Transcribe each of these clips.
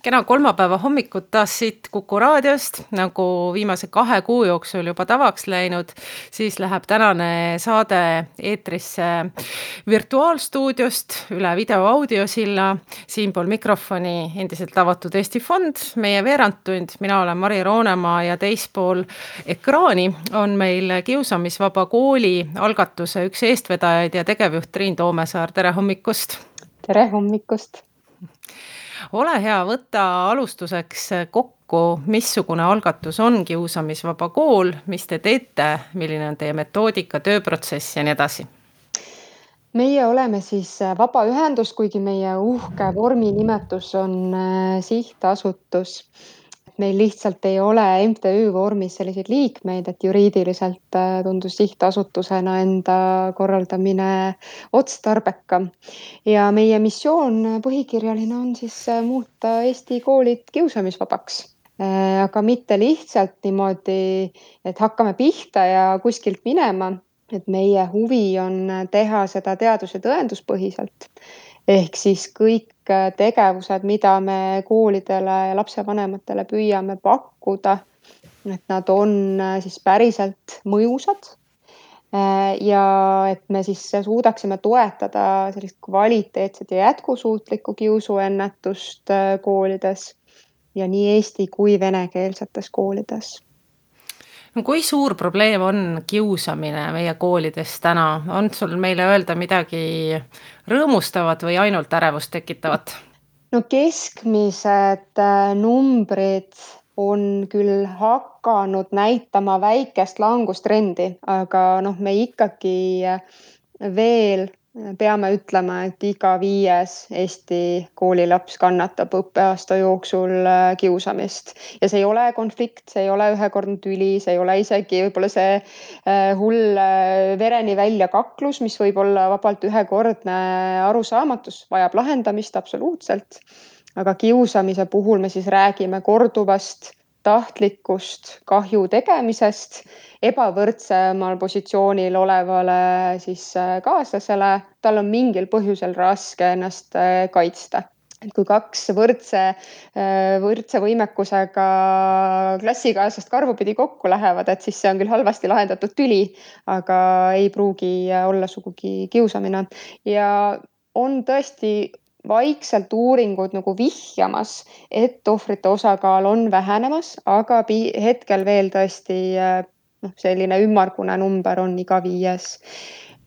kena kolmapäeva hommikut taas siit Kuku raadiost, nagu viimase 2 kuu jooksul juba tavaks läinud, siis läheb tänane saade eetrisse virtuaalstuudiost üle video-audiosilla. Siinpool mikrofoni endiselt avatud Eesti Fond, meie veerandtund, mina olen Mari Roonemaa ja teispool ekraani on meil Kiusamisvaba Kooli algatuse üks eestvedajaid ja tegevjuht Triin Toomesaar. Tere hommikust! Tere hommikust! Ole hea, võta alustuseks kokku, missugune algatus on Kiusamisvaba Kool, mis te teete, milline on teie metoodika, tööprotsess ja nii edasi? Meie oleme siis vabaühendus, kuigi meie uhke vorminimetus on sihtasutus. Meil lihtsalt ei ole MTÜ vormis selliseid liikmeid, et juriidiliselt tundus sihtasutusena enda korraldamine otstarbekam. Ja meie missioon põhikirjaline on siis muuta Eesti koolid kiusamisvabaks. Aga mitte lihtsalt niimoodi, et hakkame pihta ja kuskilt minema, et meie huvi on teha seda teadus- ja tõenduspõhiselt. Ehk siis kõik tegevused, mida me koolidele ja lapsevanematele püüame pakkuda, et nad on siis päriselt mõjusad ja et me siis suudaksime toetada sellist kvaliteetset ja jätkusuutlikku kiusuennetust koolides ja nii eesti kui venekeelsetes koolides. No kui suur probleem on kiusamine meie koolides täna? On sul meile öelda midagi rõõmustavat või ainult ärevust tekitavat? No keskmised numbrid on küll hakanud näitama väikest langustrendi, aga me ikkagi veel peame ütlema, et iga 5. Eesti koolilaps kannatab õppeaasta jooksul kiusamist. Ja see ei ole konflikt, see ei ole ühekordne tüli, see ei ole isegi võib-olla see hull vereni välja kaklus, mis võib olla vabalt ühekordne arusaamatus, vajab lahendamist absoluutselt. Aga kiusamise puhul me siis räägime korduvast tahtlikust kahju tegemisest ebavõrdsemal positsioonil olevale siis kaaslasele, tal on mingil põhjusel raske ennast kaitsta. Et kui 2 võrdse võimekusega klassikaaslast karvupidi kokku lähevad, et siis see on küll halvasti lahendatud tüli, aga ei pruugi olla sugugi kiusamine. Ja on tõesti vaikselt uuringud nagu vihjamas, et ohvrite osakaal on vähenemas, aga hetkel veel tõesti selline ümmargune number on iga 5.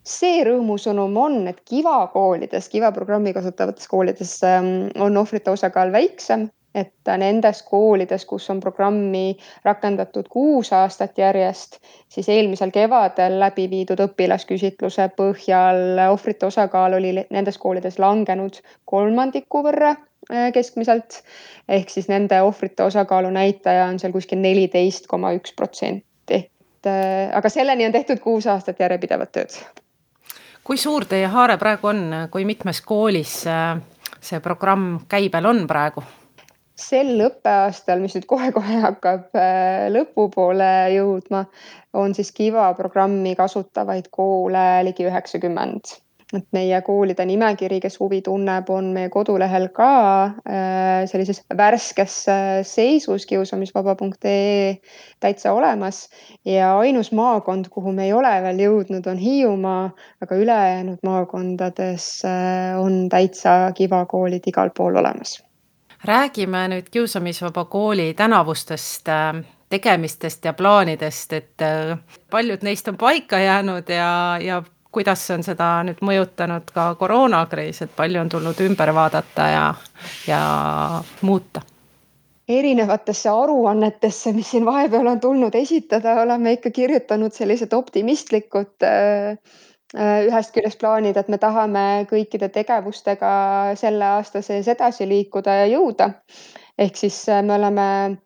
See rõõmusõnum on, et Kiva koolides, Kiva programmi kasutavates koolides on ohvrite osakaal väiksem, et nendes koolides, kus on programmi rakendatud 6 aastat järjest, siis eelmisel kevadel läbi viidud õpilasküsitluse põhjal ohvrite osakaal oli nendes koolides langenud 1/3 võrra keskmiselt, ehk siis nende ohvrite osakaalu näitaja on seal kuskil 14,1%. Aga selleni on tehtud 6 aastat järjepidevat tööd. Kui suur teie haare praegu on, kui mitmes koolis see programm käibel on praegu? Sel õppeaastal, mis nüüd kohe-kohe hakkab lõpupoole jõudma, on siis Kiva programmi kasutavaid koole ligi 90. Et meie koolide nimekiri, kes huvi tunneb, on meie kodulehel ka sellises värskes seisus kiusamisvaba.ee täitsa olemas. Ja ainus maakond, kuhu me ei ole veel jõudnud, on Hiiumaa, aga ülejäänud maakondades on täitsa Kiva koolid igal pool olemas. Räägime nüüd Kiusamisvaba Kooli tänavustest tegemistest ja plaanidest, et paljud neist on paika jäänud ja kuidas on seda nüüd mõjutanud ka koroonakriis, et palju on tulnud ümber vaadata ja muuta? Erinevatesse aruannetesse, mis siin vahepeal on tulnud esitada, oleme ikka kirjutanud sellised optimistlikud ühest küljest plaanid, et me tahame kõikide tegevustega selle aasta sees edasi liikuda ja jõuda. Ehk siis me oleme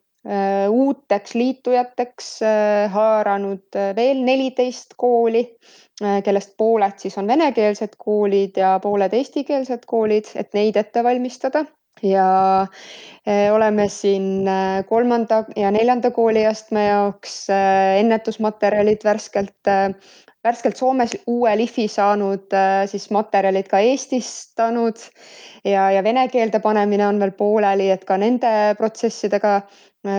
uuteks liitujateks haaranud veel 14 kooli, kellest pooled siis on venekeelsed koolid ja pooled eestikeelsed koolid, et neid ette valmistada. Ja oleme siin 3. ja 4. kooliastme jaoks ennetusmaterjalid värskelt värskelt Soomes uue lihvi saanud siis materjalid ka eestistanud ja vene keelde panemine on veel pooleli, et ka nende protsessidega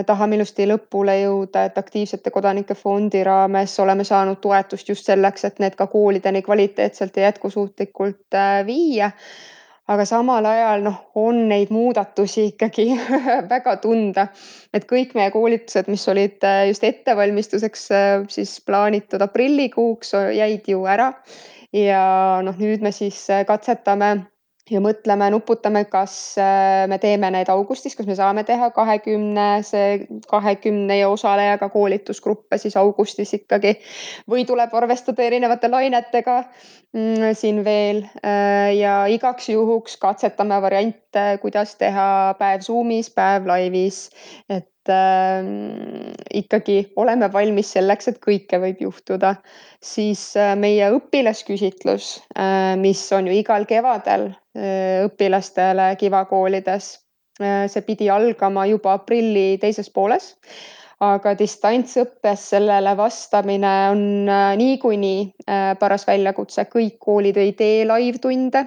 tahame ilusti lõpule jõuda, et aktiivsete kodanike fondi raames oleme saanud toetust just selleks, et need ka koolideni kvaliteetselt ja jätkusuutlikult viia. Aga samal ajal on neid muudatusi ikkagi väga tunda, et kõik meie koolitused, mis olid just ettevalmistuseks siis plaanitud aprillikuuks, jäid ju ära. Ja nüüd me siis katsetame ja mõtleme, nuputame, kas me teeme need augustis, kas me saame teha 20 osalejaga koolitusgruppe siis augustis ikkagi või tuleb arvestada erinevate lainetega siin veel ja igaks juhuks katsetame variante, kuidas teha päev Zoomis, päev laivis, et ikkagi oleme valmis selleks, et kõike võib juhtuda. Siis meie õpilasküsitlus, mis on ju igal kevadel õpilastele Kiva koolides. See pidi algama juba aprilli teises pooles, aga distantsõppes sellele vastamine on niikuinii paras väljakutse. Kõik koolid ei tee live-tunde,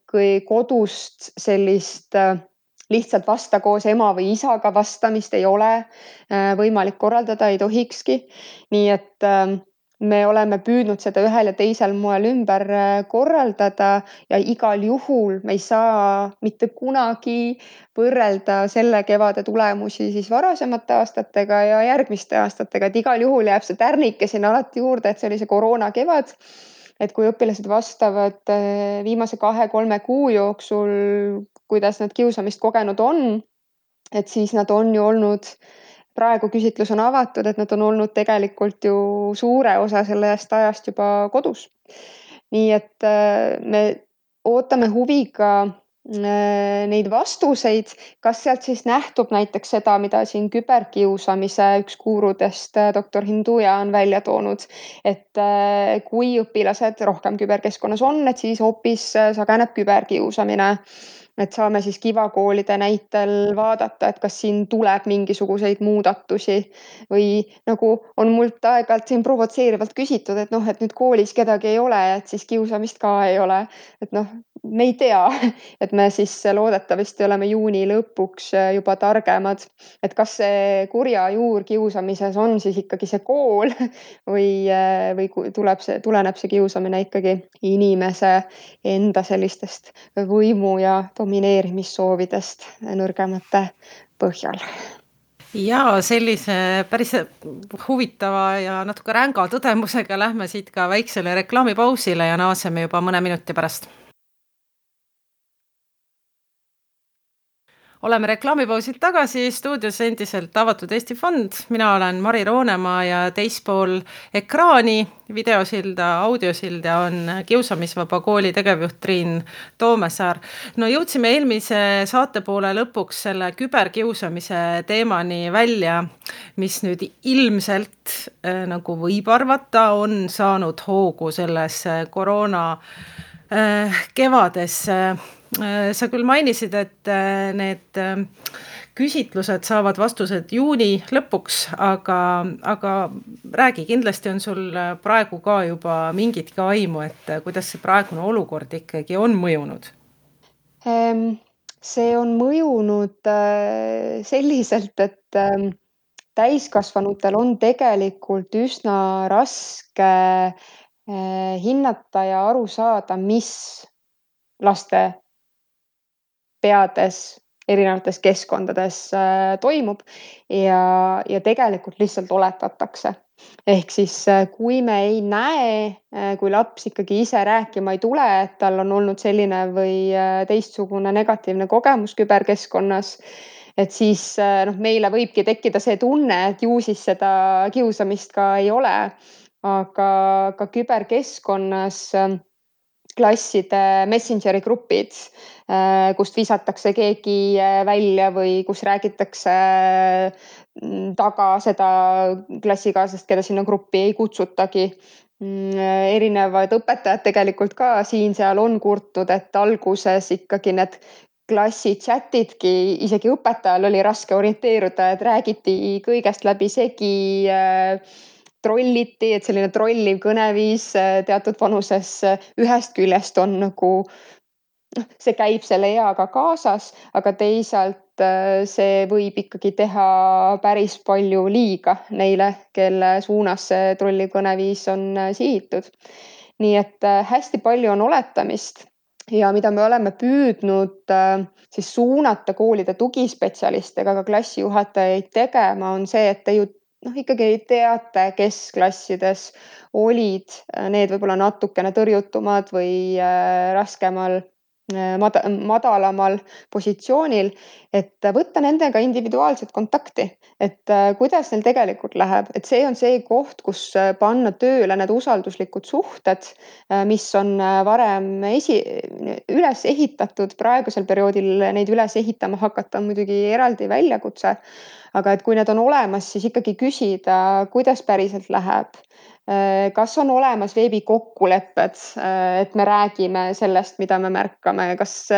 kui kodust sellist lihtsalt vasta koos ema või isaga vastamist ei ole võimalik korraldada, ei tohikski. Nii et me oleme püüdnud seda ühel ja teisel moel ümber korraldada ja igal juhul me ei saa mitte kunagi võrrelda selle kevade tulemusi siis varasemate aastatega ja järgmiste aastatega, et igal juhul jääb see tärnike sinna alati juurde, et see oli see koroona kevad. Et kui õpilased vastavad viimase 2-3 kuu jooksul, kuidas nad kiusamist kogenud on, et siis nad on ju olnud, praegu küsitlus on avatud, et nad on olnud tegelikult ju suure osa sellest ajast juba kodus. Nii et me ootame huviga neid vastuseid, kas sealt siis nähtub näiteks seda, mida siin küberkiusamise üks guurudest doktor Hinduja on välja toonud, et kui õpilased rohkem küberkeskkonnas on, et siis hoopis sageneb küberkiusamine. Et saame siis Kiva koolide näitel vaadata, et kas siin tuleb mingisuguseid muudatusi või nagu on mult aeg-ajalt siin provotseerivalt küsitud, et et nüüd koolis kedagi ei ole, et siis kiusamist ka ei ole. Et me ei tea, et me siis loodetavasti oleme juuni lõpuks juba targemad, et kas see kurja juur kiusamises on siis ikkagi see kool või tuleneb see kiusamine ikkagi inimese enda sellistest võimu ja domineerimissoovidest nõrgemate põhjal. Ja sellise päris huvitava ja natuke ränga tõdemusega lähme siit ka väiksele reklaamipausile ja naaseme juba mõne minuti pärast. Oleme reklaamipausilt tagasi, stuudios endiselt Avatud Eesti Fond. Mina olen Mari Roonemaa ja teispool ekraani, videosilda, audiosilda on Kiusamisvaba kooli tegevjuht Triin Toomesaar. No jõudsime eelmise saate poole lõpuks selle küberkiusamise teemani välja, mis nüüd ilmselt, nagu võib arvata, on saanud hoogu selles koroona kevades. Sa küll mainisid, et need küsitlused saavad vastused juuni lõpuks, aga räägi, kindlasti on sul praegu ka juba mingitki aimu, et kuidas see praegune olukord ikkagi on mõjunud? See on mõjunud selliselt, et täiskasvanutel on tegelikult üsna raske hinnata ja aru saada, mis laste peades erinevates keskkondades toimub ja tegelikult lihtsalt oletatakse. Ehk siis kui me ei näe, kui laps ikkagi ise rääkima ei tule, et tal on olnud selline või teistsugune negatiivne kogemus küberkeskkonnas, et siis meile võibki tekkida see tunne, et ju siis seda kiusamist ka ei ole. Aga ka küberkeskkonnas klasside Messengeri grupid, kust visatakse keegi välja või kus räägitakse taga seda klassikaaslast, keda sinna gruppi ei kutsutagi. Erinevad õpetajad tegelikult ka siin-seal on kurtnud, et alguses ikkagi need klassi chatidki, isegi õpetajal oli raske orienteeruda, et räägiti kõigest läbi segi trolliti, et selline trolliv kõneviis teatud vanuses ühest küljest on nagu see käib selle eaga kaasas, aga teisalt see võib ikkagi teha päris palju liiga neile, kelle suunas see trolliv kõneviis on sihitud. Nii et hästi palju on oletamist ja mida me oleme püüdnud siis suunata koolide tugispetsialiste ega ka klassijuhatajaid tegema, on see, et te ju ikkagi teate, kes klassides olid need võib-olla natukene tõrjutumad või raskemal madalamal positsioonil, et võtta nendega individuaalset kontakti, et kuidas neil tegelikult läheb, et see on see koht, kus panna tööle need usalduslikud suhted, mis on varem üles ehitatud, praegusel perioodil neid üles ehitama hakata on muidugi eraldi väljakutse, aga et kui need on olemas, siis ikkagi küsida, kuidas päriselt läheb. Kas on olemas veebikokkulepped, et me räägime sellest, mida me märkame, kas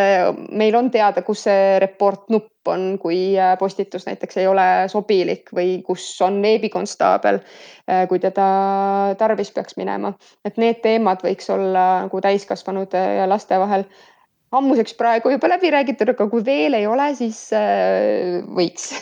meil on teada, kus see report nupp on, kui postitus näiteks ei ole sobilik või kus on veebikonstaabel, kui teda tarvis peaks minema. Et need teemad võiks olla nagu täiskasvanud ja laste vahel ammuseks praegu juba läbi räägitud, aga kui veel ei ole, siis võiks.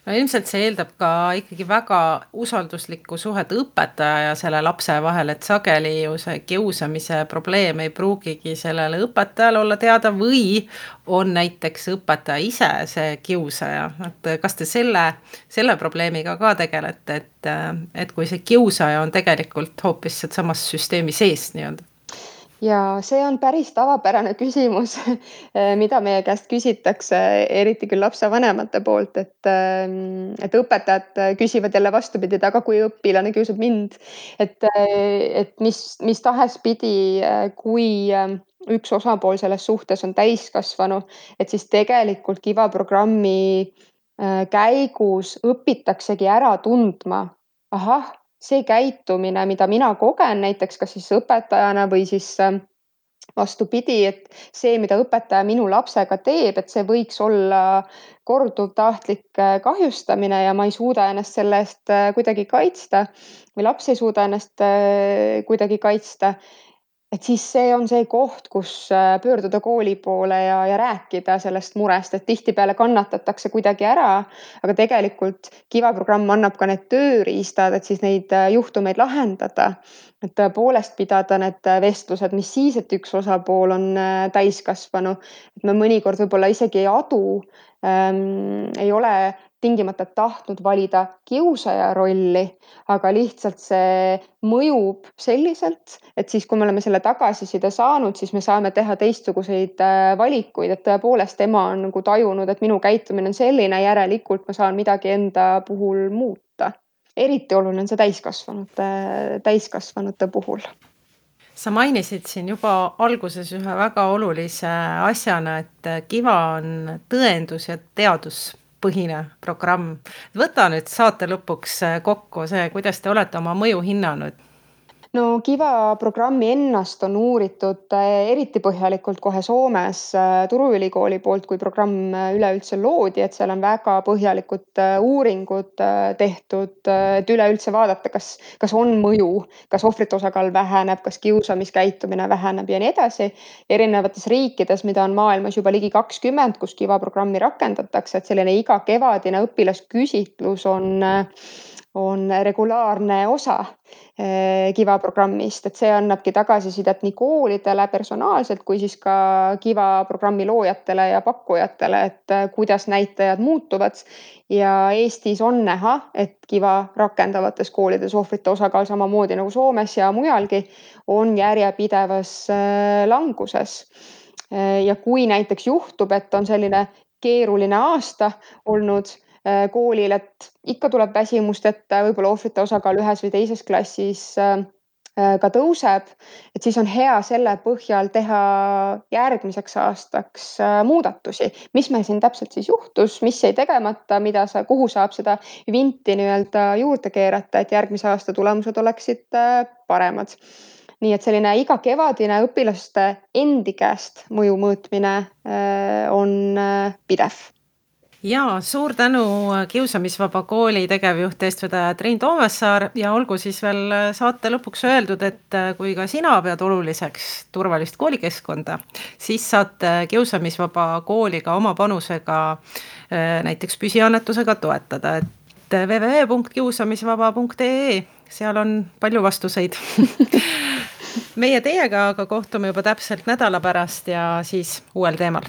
No ilmselt see eeldab ka ikkagi väga usalduslikku suhet õpetaja ja selle lapse vahel, et sageli ju see kiusamise probleem ei pruugigi sellele õpetajale olla teada või on näiteks õpetaja ise see kiusaja. Et kas te selle probleemiga ka tegelete, et kui see kiusaja on tegelikult hoopis samas süsteemi sees nii-öelda? Ja see on päris tavapärane küsimus, mida meie käest küsitakse, eriti küll lapsevanemate poolt, et õpetajad küsivad jälle vastupidi, et aga kui õpilane kiusab mind, et mis tahes pidi, kui üks osapool selles suhtes on täiskasvanu, et siis tegelikult Kiva programmi käigus õpitaksegi ära tundma, ahah, see käitumine, mida mina kogen näiteks kas siis õpetajana või siis vastupidi, et see, mida õpetaja minu lapsega teeb, et see võiks olla korduv tahtlik kahjustamine ja ma ei suuda ennast selle eest kuidagi kaitsta või laps ei suuda ennast kuidagi kaitsta. Et siis see on see koht, kus pöörduda kooli poole ja rääkida sellest murest, et tihtipeale kannatatakse kuidagi ära, aga tegelikult Kiva programm annab ka need tööriistad, et siis neid juhtumeid lahendada. Et tõepoolest pidada need vestlused, mis siis, et üks osapool on täiskasvanu, et me mõnikord võib-olla isegi ei adu, ei ole tingimata tahtnud valida kiusaja rolli, aga lihtsalt see mõjub selliselt, et siis, kui me oleme selle tagasiside saanud, siis me saame teha teistsuguseid valikuid, et tõepoolest ema on nagu tajunud, et minu käitumine on selline, järelikult ma saan midagi enda puhul muuta. Eriti oluline on see täiskasvanute puhul. Sa mainisid siin juba alguses ühe väga olulise asjana, et Kiva on tõendus- ja teaduspõhine programm. Võta nüüd saate lõpuks kokku see, kuidas te olete oma mõju hinnanud. No Kiva programmi ennast on uuritud eriti põhjalikult kohe Soomes Turu Ülikooli poolt, kui programm üleüldse loodi, et seal on väga põhjalikud uuringud tehtud, et üleüldse vaadata, kas on mõju, kas ohvrite osakaal väheneb, kas kiusamiskäitumine väheneb ja nii edasi. Erinevates riikides, mida on maailmas juba ligi 20, kus Kiva programmi rakendatakse, et selline iga kevadine õpilasküsitlus on regulaarne osa Kiva programmist, et see annabki tagasisidet nii koolidele personaalselt kui siis ka Kiva programmi loojatele ja pakkujatele, et kuidas näitajad muutuvad. Ja Eestis on näha, et Kiva rakendavates koolides ohvrite osakaal samamoodi nagu Soomes ja mujalgi on järjepidevas languses. Ja kui näiteks juhtub, et on selline keeruline aasta olnud koolil, et ikka tuleb väsimust ette, võib-olla ohvrite osakaal ühes või teises klassis ka tõuseb, et siis on hea selle põhjal teha järgmiseks aastaks muudatusi. Mis meil siin täpselt siis juhtus, mis jäi tegemata, kuhu saab seda vinti nii-öelda juurde keerata, et järgmise aasta tulemused oleksid paremad. Nii et selline iga kevadine õpilaste endi käest mõju mõõtmine on pidev. Ja suur tänu Kiusamisvaba Kooli tegevjuht eestvedaja Triin Toomessaar ja olgu siis veel saate lõpuks öeldud, et kui ka sina pead oluliseks turvalist koolikeskkonda, siis saad Kiusamisvaba Kooli ka oma panusega näiteks püsiannetusega toetada, et www.kiusamisvaba.ee, seal on palju vastuseid. Meie teiega aga kohtume juba täpselt nädala pärast ja siis uuel teemal.